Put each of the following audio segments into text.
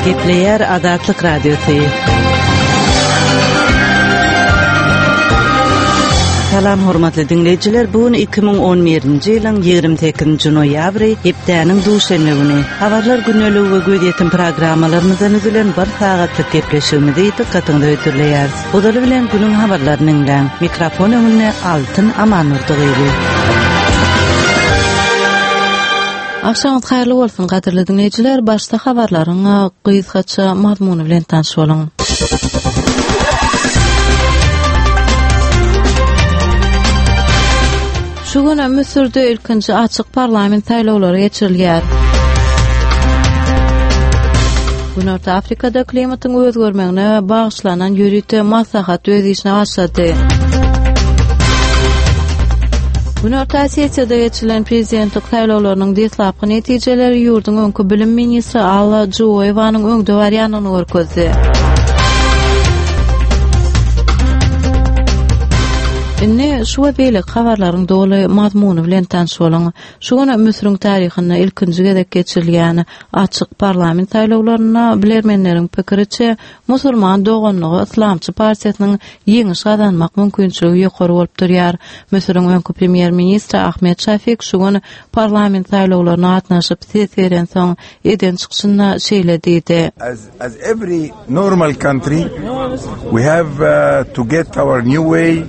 Gepleýär Azatlyk Radiosy. Salam hormatly diňleýjiler, bu gün 2011-nji ýylyň 28-nji noýabry, hepdäniň duşenbe güni. Habarlar gündeligi we gözýetim programmalarymyzdan düzülen bir sagatlyk gepleşigimizi dykgatyňyza hödürleýäris. Ozaly bilen günüň habarlaryny diňläň. Mikrofon öňünde Altyn Amandurdy gyzy. Agşamyňyz haýyrly bolsun, gadyrly diňleýjiler! Başda habarlaryň gysgaça mazmuny bilen tanyş boluň. Şu gün Müsürde ilkinji açyk parlament saýlawlary geçirilýär. Günorta Afrikada klimatyň özgermegine bagyşlanan ýörite maslahat öz işine başlady. Günorta Osetiýada geçirilen prezidentlik saýlawlarynyň deslapky netijeleri ýurduň öňki bilim ministri Alla Juoýewanyň öňde barýandygyny görkezdi. Indi şu we beýleki habarlaryň doly mazmuny bilen tanyş boluň. Şu gün Müsüriň taryhynda ilkinji gezek geçirilýän açyk parlament saýlawlarynda bilermenleriň pikiriçe, Musulman doganlygy yslamçy partiýasynyň ýeňiş gazanmak mümkinçiligi ýokary bolup durýar. Müsüriň öňki premýer-ministri Ahmed Şafik şu gün parlament saýlawlaryna gatnaşyp ses berensoň eden çykyşynda şeýle diýdi. As every normal country, we have to get our new way,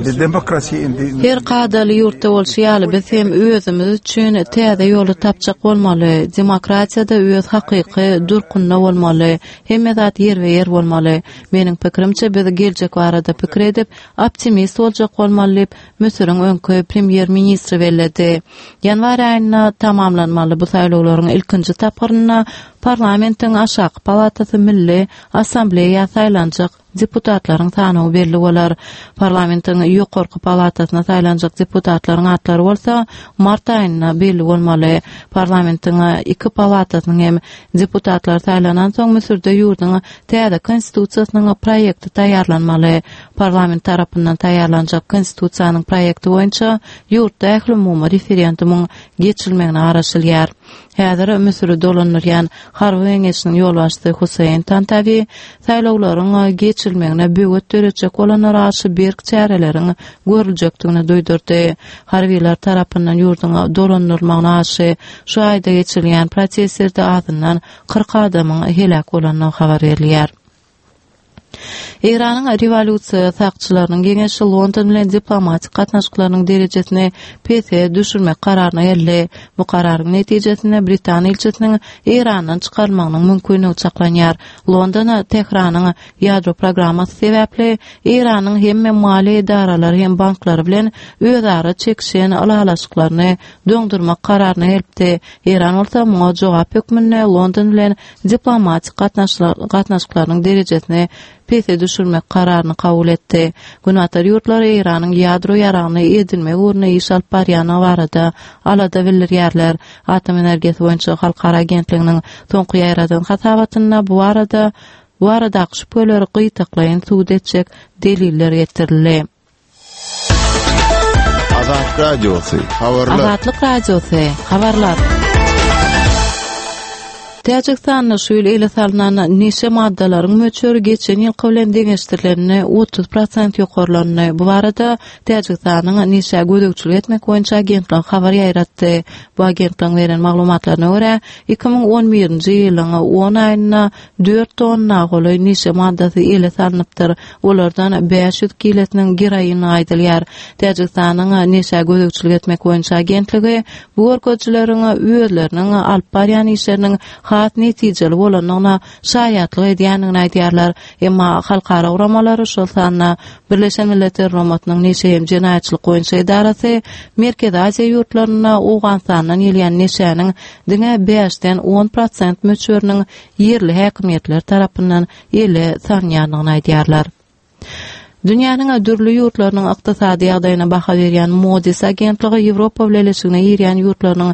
the democracy in the Her kadaly ýurtda bolşy ýaly, biz hem özümiz üçin täze ýoly tapjak bolmaly, demokratiýada öz hakyky durkunda bolmaly, hemme zat ýerbe-ýer bolmaly. Meniň pikirimçe, biz geljek barada pikir edip, optimist boljak bolmaly diýip, Müsüriň öňki premýer-ministri belledi. Ýanwar aýynda tamamlanmaly bu saýlawlaryň ilkinji tapgyrynda parlamentiň aşaky palatasy Milli Assambleýa saýlanjak deputatlaryň sanawy belli bolar. Parlamentiň ýokarky palatasyna saýlanjak deputatlaryň atlary bolsa mart aýynda belli bolmaly. Parlamentiň iki palatasynyň hem deputatlary saýlanansoň Müsürde ýurduň täze konstitusiýasynyň proýekti taýýarlanmaly. Parlament tarapyndan taýýarlanjak Konstitusiýanyň proýekti boýunça ýurtda ählumumy referendumyň geçirilmegine garaşylýar. Häzir Müsüri dolandyrýan Harby geňeşiniň ýolbaşçysy Huseýn Tantawi saýlawlaryň geçirilmegine böwet döretjek bolanlara garşy berk çäreleriň görüljekdigini duýdurdy. Harbylar tarapyndan ýurduň dolandyrylmagyna garşy şu aýda geçirilýän protestlerde azyndan 40 adamyň heläk bolandygy habar berilýär. Eýranyň Rewolýusiýa sakçylarynyň geňeşi London bilen diplomatik gatnaşyklarynyň derejesini pese düşürmek kararyna geldi. Bu kararyň netijesinde britan ilçisiniň Eýrandan çykarylmagynyň mümkinligi çaklanýar. London Tähranyň ýadro programmasy sebäpli Eýranyň hemme maliýe edaralary hem banklary bilen özara çekişen ylalaşyklaryny doňdurmak kararyna gelipdi. Eýran bolsa muňa jogap hökmünde London bilen diplomatik gatnaşyklarynyň derejesini pese düşürmek kararyny kabul etdi. Günbatar ýurtlary Eýranyň ýadro ýaragyny edinmek ugrunda iş alyp barýandygy barada alada bildirýärler. Atom energiýasy boýunça halkara agentliginiň soňky ýaýradan hasabatynda bu barada bu baradaky şübheleri gytaklaýyn subut etjek deliller getirildi. Azatlyk Radiosy, habarlar. Azatlyk Radiosy, habarlar. Täjigistanda şu ýyl ele salnan neşe maddalaryň möçberi geçen ýylky bilen deňeşdirilende 30 prosent ýokarlandy. Bu barada Täjigistanyň neşä gözegçilik etmek boýunça agentligi habar ýaýratdy. Bu agentligiň beren maglumatlaryna görä, 2011-nji ýylyň on aýynda dört tonna golaý neşe maddasy ele salnypdyr. Olardan 500 kilesiniň geroinligi aýdylýar. Täjigistanyň Neşä gözegçilik etmek boýunça agentligi bu görkezijileriň özleriniň alyp barýan işleriniň has netijeli bolandygyna şaýatlyk edýändigini aýdýarlar. Emma halkara guramalary, şol sanda Birleşen Milletler Guramasynyň Neşe hem jenaýatçylyk boýunça edarasy Merkezi Aziýa ýurtlarynda Owganystandan gelýän neşäniň diňe bäşden on prosent möçberiniň ýerli häkimiýetler tarapyndan ele salynýandygyny aýdýarlar. Dünýäniň dürli ýurtlarynyň ykdysady ýagdaýyna baha berýän Moody's agentligi Ýewropa Bileleşigine girýän ýurtlarynyň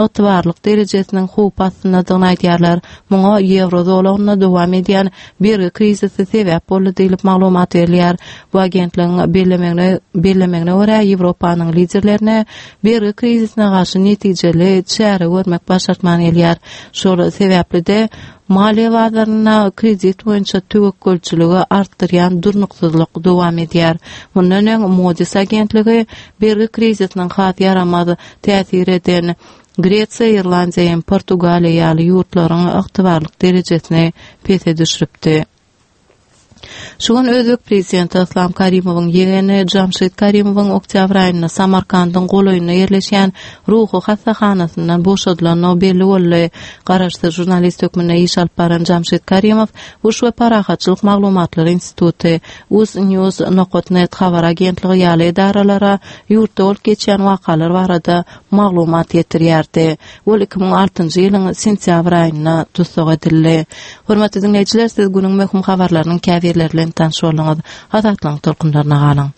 ygtybarlyk derejesiniň howp astyndadygyny aýdýarlar. Muňa ýewro zolagynda dowam edýän bergi krizisi sebäp boldy diýlip maglumat berilýär. Bu agentligiň bellemegine bellemegine görä, Ýewropanyň liderlerine bergi krizisine garşy netijeli çäre görmek başartman gelýär. Şol sebäpli-de, Maliýe bazarynda kredit boýunça töwekgelçiligi artdyrýan durnuksyzlyk dowam edýär. Mundan öň Moody's agentligi bergi krizisiniň has ýaramaz täsir eden Gresiýa, Irlandiýa hem Portugaliýa ýaly ýurtlaryň ygtybarlyk derejesini pese düşüripdi. Şu gün özbek prezidenti Yslam Karimowyň ýegeni Jamşid Karimowyň oktýabr aýynda Samarkandyň golaýynda ýerleşýän ruhy hassahanasyndan boşadylandygy belli boldy. Garaşsyz žurnalist hökmünde iş alyp baran Jamşid Karimow Uruş we parahatçylyk maglumatlary instituty, Uznews nokat net habar agentligi ýaly edaralara ýurtda bolup geçýän wakalar barada maglumat ýetirýärdi. Ol 2006-njy ýylyň sentýabr aýynda tussag edildi. Hormatly diňleýjiler, siz günüň möhüm habarlarynyň käbirleri bilen tanyş bolduňyz. Azatlygyň tolkunlaryna galyň.